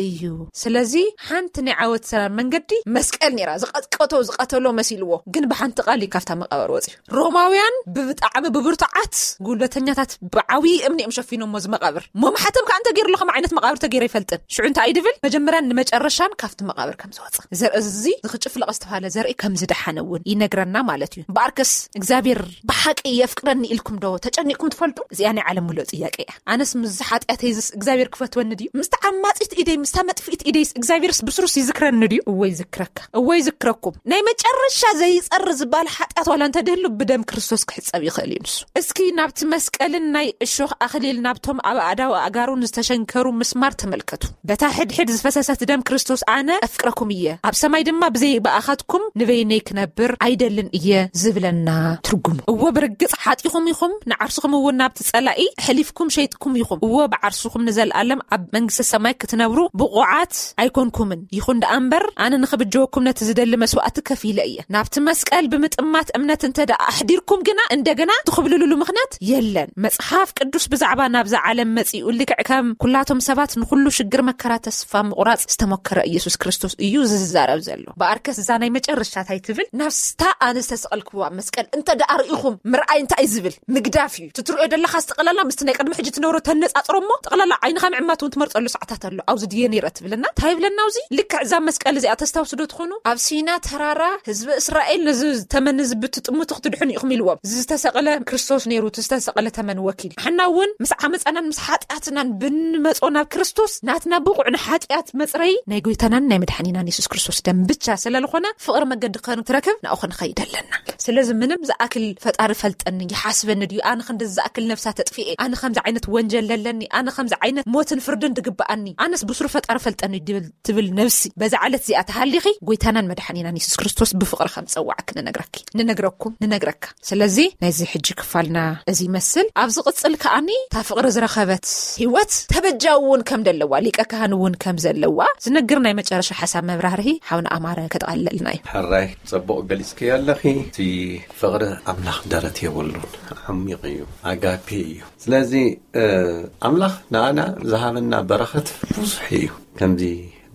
እዩ። ስለዚ ሓንቲ ናይ ዓወት ሰላም መንገዲ መስቀል ነይራ። ዝቐጥቀቶ፣ ዝቐተሎ መሲልዎ፣ ግን ብሓንቲ ቃል እዩ ካብታ መቃብር ወፂኡ። ሮማውያን ብብጣዕሚ ብብርቱዓት ጉልበተኛታት ብዓብዪ እምኒ እዮም ሸፊኖሞ እዚ መቃብር። እሞ ማሕተም ከዓ እንተገይሩ ኣሎ ከም ዓይነት መቃብር ተገይሩ ኣይፈልጥን። ሽዑ እንታይ እዩ ድብል? መጀመርያን ንመጨረሻን ካብቲ መቃብር ከም ዝወፀ። ዘርኢ እዚ ዝኽጭፍለቐ ዝተባሃለ ዘርኢ ከም ዝደሓነ እውን ይነግረና ማለት እዩ። እምበኣርከስ እግዚኣብሔር ብሓቂ የፍቅረኒ ኢልኩም ዶ ተጨኒቕኩም ትፈልጡ? እዚኣ ናይ ዓለም ምሉእ ጥያቄ እያ። ኣነስ ምስ ሓጢኣተይ ዝስ እግዚኣብሔር ክፈትወኒ ድዩ? ምስታ ዓማጺት ኢደይ፣ ምስታ መጥፍኢት ኢደይስ እግዚኣብሔርስ ብስሩስ ይዝክረኒ ድዩ? እወ ይዝክረካ፣ እወ ይዝክረኩም። ናይ መጨረሻ ዘይጸሪ ዝበሃል ሓጢኣት ዋላ እንተድህሉ ብደም ክርስቶስ ክሕጸብ ይኽእል እዩ ንሱ። እስኪ ናብቲ መስቀልን ናይ እሾኽ ኣኽሊል ናብቶም ኣብ ኣእዳው ኣእጋሩን ዝተሸንከሩ ምስማር ተመልከቱ። በታ ሕድሕድ ዝፈሰሰት ደም ክርስቶስ ኣነ ኣፍቅረኩም እየ፣ ኣብ ሰማይ ድማ ብዘይ ብኣኻትኩም ንበይነይ ክነብር ኣይደልን እየ ዝብለና ትርጉሙ። እወ ብርግጽ ሓጢኹም ኢኹም፣ ንዓርስኹም እውን ናብቲ ጸላኢ ኣሕሊፍኩም ሸይጥኩም ኢኹም። እወ ብዓርስኹም ንዘለኣለም ኣብ መንግስቲ ሰማይ ክትነብሩ ብቑዓት ኣይኮንኩምን። ይኹን ደኣ እምበር ኣነ ንኽብጀወኩም ነቲ ዝደሊ መስዋእቲ ከፊለ እየ። ናብቲ መስቀል ብምጥማት እምነት እንተ ደኣ ኣሕዲርኩም ግና እንደገና ትኹብልሉሉ ምኽንያት የለን። መጽሓፍ ቅዱስ ብዛዕባ ናብዛ ዓለም መጺኡ ልክዕ ከም ኩላቶም ሰባት ንኹሉ ሽግር መከራ ተስፋ ምቑራጽ ዝተሞከረ ኢየሱስ ክርስቶስ እዩ ዝዛረብ ዘሎ። በኣርከስ እዛ ናይ መጨረሻ እንታይ ትብል? ናብስታ ኣነ ዝተሰቐልክዋ መስቀል እንተ ደኣ ርኢኹም ምርኣይ እንታይ ዝብል ምግዳፍ እዩ። ትትርእዮ ደለኻ ጠቕላላ ምስቲ ናይ ቅድሚ ሕጂ ትነብሮ ተነጻጽሮ እሞ ጠቕላላ ዓይንኻ ምዕማት እውን ትመርጸሉ ሰዓታት ኣሎ። ኣብዚ ድየ ነይረ ትብልና? እንታይ ይብለና ኣብዚ? ልክዕ እዛ መስቀል እዚኣ ተስታውሱ ዶ ትኾኑ? ኣብ ሲና ተራራ ህዝቢ እስራኤል ነዚ ተመን እዚ ብትጥምቱ ክትድሕኑ ኢኹም ኢልዎም። እዚ ዝተሰቕለ ክርስቶስ ነይሩ፣ እቲ ዝተሰቕለ ተመን ወኪል። ንሕና እውን ምስ ዓመፃናን ምስ ሓጢኣትናን ብንመጾ ናብ ክርስቶስ ናትና ብቑዕ ንሓጢኣት መጽረይ ናይ ጎይታናን ናይ መድሓኒናን የሱስ ክርስቶስ ደም ብቻ ስለ ዝኾነ ፍቕሪ መገዲ ክንትረክብ ናብኡ ክንኸይድ ኣለና። ስለዚ ምንም ዝኣክል ፈጣሪ ፈልጠኒ፣ ይሓስበኒ ድዩ? ኣነ ክንዲ ዝኣክል ነፍሳ ተጥፊኤ? ኣነ ከምዚ ዓይነት ወንጀል ለለኒ? ኣነ ከምዚ ዓይነት ሞትን ፍርድን ድግብኣኒ? ኣነስ ብስሩ ፈጣሪ ፈልጠኒ ይሰልጠኒ ድብል ትብል ነብሲ፣ በዛ ዕለት እዚኣ ተሃሊኺ፣ ጎይታናን መድሓኒናን የሱስ ክርስቶስ ብፍቕሪ ከም ጸዋዕኪ ንነግረኪ፣ ንነግረኩም፣ ንነግረካ። ስለዚ ናይዚ ሕጂ ክፋልና እዚ ይመስል። ኣብ ዝቕጽል ከኣኒ እታ ፍቕሪ ዝረኸበት ህይወት ተበጃዊ እውን ከም ዘለዋ፣ ሊቀ ካህን እውን ከም ዘለዋ ዝነግር ናይ መጨረሻ ሓሳብ መብራህርሂ ሓውና ኣማረ ከጠቓልለልና እዩ። ሕራይ፣ ጽቡቕ ገሊጽክዮ ኣለኺ። እቲ ፍቕሪ ኣምላኽ ደረት የብሉን፣ ዓሚቕ እዩ፣ ኣጋፔ እዩ። ስለዚ፣ እ፣ ኣምላኽ ንኣና ዝሃበና በረኸት ብዙሕ እዩ። ከምዚ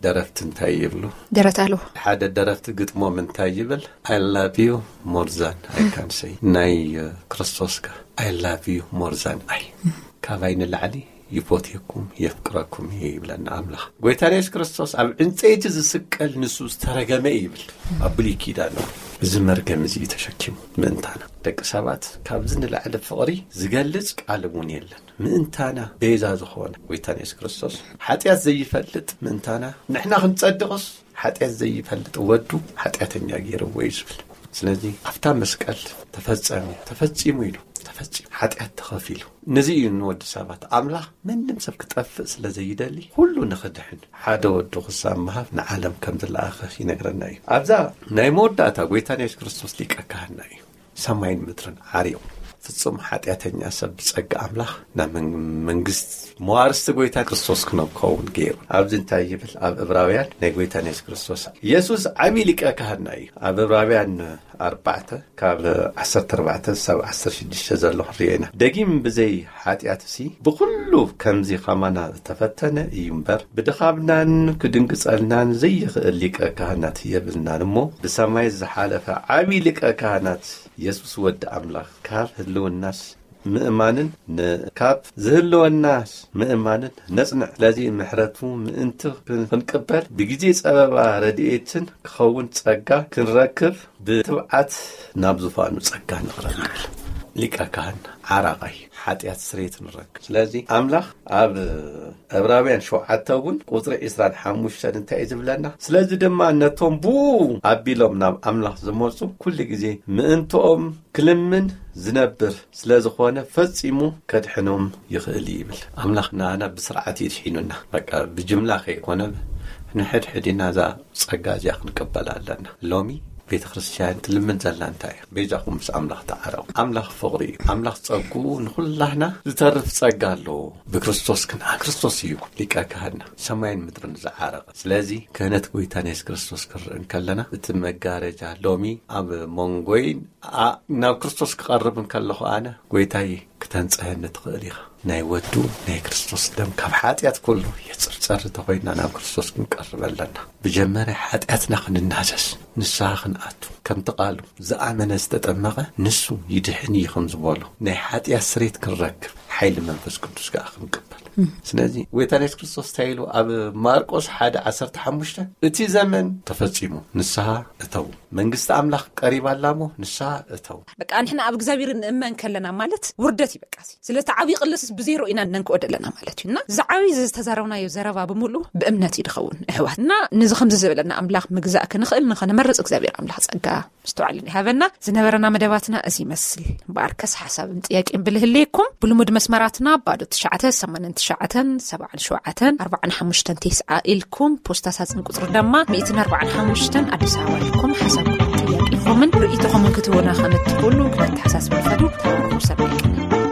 ደረፍቲ እንታይ ይብሉ? ደረት ኣለዎ። ሓደ ደረፍቲ ግጥሞም እንታይ ይብል? "I love you more than I can say." ናይ፣ እ፣ ክርስቶስ ከ? "I love you more than I." ካባይ ንላዕሊ ይፎትየኩም፣ የፍቅረኩም እየ ይብለና ኣምላኽ። ጎይታና የሱስ ክርስቶስ ኣብ ዕንጸይቲ ዝስቀል ንሱ ዝተረገመ እዩ ይብል ኣብ ብሉይ ኪዳን። እዚ መርገም እዚ እዩ ተሸኪሙ ምእንታና። ደቂ ሰባት ካብዚ ንላዕሊ ፍቕሪ ዝገልጽ ቃል እውን የለን። ምእንታና ቤዛ ዝኾነ ጎይታና የሱስ ክርስቶስ፣ ሓጢኣት ዘይፈልጥ ምእንታና፣ ንሕና ክንጸድቕስ ሓጢኣት ዘይፈልጥ ወዱ ሓጢኣተኛ ገይርዎ እዩ ዝብል። ስለዚ ኣብታ መስቀል ተፈጸመ፣ ተፈጺሙ ኢሉ፣ ተፈጺሙ፣ ሓጢኣት ተኸፊሉ። ነዚ እዩ ንወዲ ሰባት ኣምላኽ ምንም ሰብ ክጠፍእ ስለ ዘይደሊ፣ ኩሉ ንኽድሕን ሓደ ወዱ ክሳብ ምሃብ ንዓለም ከም ዝለኣኸ ይነግረና እዩ። ኣብዛ ናይ መወዳእታ ጎይታና የሱስ ክርስቶስ ሊቀ ካህንና እዩ። ሰማይን ምድርን ዓሪቑ፣ ፍጹም ሓጢኣተኛ ሰብ ብጸጋ ኣምላኽ ናብ መን-፣ መንግስት መዋርስቲ ጎይታ ክርስቶስ ክነከውን ገይሩ። ኣብዚ እንታይ ይብል? ኣብ ዕብራውያን ናይ ጎይታና የሱስ ክርስቶስ፣ የሱስ ዓቢ ሊቀ ካህንና እዩ። ኣብ ዕብራውያን ኣርባዕተ ካብ ዓሰርተ ኣርባዕተ ሳብ ዓሰርተ ሽዱሽተ ዘሎ ክንሪኦ ኢና። ደጊም ብዘይ ሓጢኣትሲ ብኹሉ ከምዚ ኸማና ዝተፈተነ እዩ እምበር፣ ብድኻምናን ክድንግጸልናን ዘይኽእል ሊቀ ካህናት የብልናን እሞ፣ ብሰማይ ዝሓለፈ ዓቢ ሊቀ ካህናት የሱስ ወዲ ኣምላኽ ካብ ህልውናስ ምእማንን ን-፣ ካብ ዝህልወናስ ምእማንን ነጽንዕ። ስለዚ ምሕረቱ ምእንቲ ክን-፣ ክንቅበል ብግዜ ጸበባ ረድኤትን ክኸውን ጸጋ ክንረክብ ብትብዓት ናብ ዙፋኑ ጸጋ ንቕረብ ይብል። ሊቀ ካህን ዓራቓይ ሓጢኣት ስርየት ንረክብ። ስለዚ ኣምላኽ ኣብ ዕብራውያን ሸውዓተ እውን ቁጽሪ ዕስራን ሓሙሽተን እንታይ እዩ ዝብለና? ስለዚ ድማ ነቶም ብኡ ኣቢሎም ናብ ኣምላኽ ዝመጹ ኩሉ ግዜ ምእንትኦም ክልምን ዝነብር ስለ ዝኾነ ፈጺሙ ከድሕኖም ይኽእል እዩ ይብል። ኣምላኽ ንኣና ብስርዓት ይድሒኑና። በቃ ብጅምላ ከይኮነ ንሕድሕድ ኢና እዛ ጸጋ እዚኣ ክንቀበላ ኣለና። ሎሚ ቤተ ክርስቲያን ትልምን ዘላ እንታይ እያ? ቤዛኹም ምስ ኣምላኽ ተዓረቑ። ኣምላኽ ፍቕሪ እዩ። ኣምላኽ ጸጉኡ ንኹላህና ዝተርፍ ጸጋ ኣለዎ። ብክርስቶስ ክንኣ-፣ ክርስቶስ እዩ ሊቀ ካህንና፣ ሰማይን ምድርን ዝዓረቐ። ስለዚ ክህነት ጎይታና የሱስ ክርስቶስ ክንርኢ እንከለና፣ እቲ መጋረጃ ሎሚ ኣብ መንጎይን ኣ-፣ ናብ ክርስቶስ ክቐርብ እንከለኹ ኣነ፣ ጎይታይ ክተንጽሀኒ ትኽእል ኢኻ። ናይ ወዱ ናይ ክርስቶስ ደም ካብ ሓጢኣት ኩሉ የጽርጸር እንተኾይንና ናብ ክርስቶስ ክንቀርብ ኣለና። ብጀመረ ሓጢኣትና ክንናዘዝ፣ ንስሓ ክንኣቱ፣ ከምቲ ቃሉ ዝኣመነ ዝተጠመቐ ንሱ ይድሕን እዩ ከም ዝበሎ፣ ናይ ሓጢኣት ስሬት ክንረክብ ሓይሊ መንፈስ ቅዱስ ከኣ ክንቅበል። ስለዚ ጎይታና የሱስ ክርስቶስ እንታይ ኢሉ ኣብ ማርቆስ ሓደ ዓሰርተ ሓሙሽተ፣ እቲ ዘመን ተፈጺሙ፣ ንስሓ እተዉ፣ መንግስቲ ኣምላኽ ቀሪባ ኣላ እሞ ንስሓ እተዉ። በቃ ንሕና ኣብ እግዚኣብሔር ንእመን ከለና ማለት ውርደት እዩ። በቃ እዚ ስለቲ ዓብዪ ቅልስስ ብዜሮ ኢና ነንክኦ ዘለና ማለት እዩ። እና እዚ ዓብዪ ዝተዛረብናዮ ዘረባ ብምሉእ ብእምነት እዩ ዝኸውን ኣሕዋት። እና ነዚ ከምዚ ዝበለና ኣምላኽ ምግዛእ ክንኽእል ንኸነመርጽ እግዚኣብሔር ኣምላኽ ጸጋ ምስተዋዕልን ይሃበና። ዝነበረና መደባትና እዚ ይመስል። እምበኣርከስ ሓሳብን ጥያቄን ብልህልየኩም ብልሙድ መስመራትና ባዶ ትሽዓተ ሰማንያን ትሽዓተን ሰብዓን ሸውዓተን ኣርባዓን ሓሙሽተን ተስዓ ኢልኩም ፖስታ ሳጽን ቁጽሪ ድማ ሚእትን ኣርባዓን ሓሙሽተን ኣዲስ ኣበባ ኢልኩም ሓሳብኩም ጥያቄኹምን ርእይቶኹምን ክትህቡና ከም እትኽእሉ ክነተሓሳስብ ንፈቱ። ተባረኹ። ሰናይ ቀን።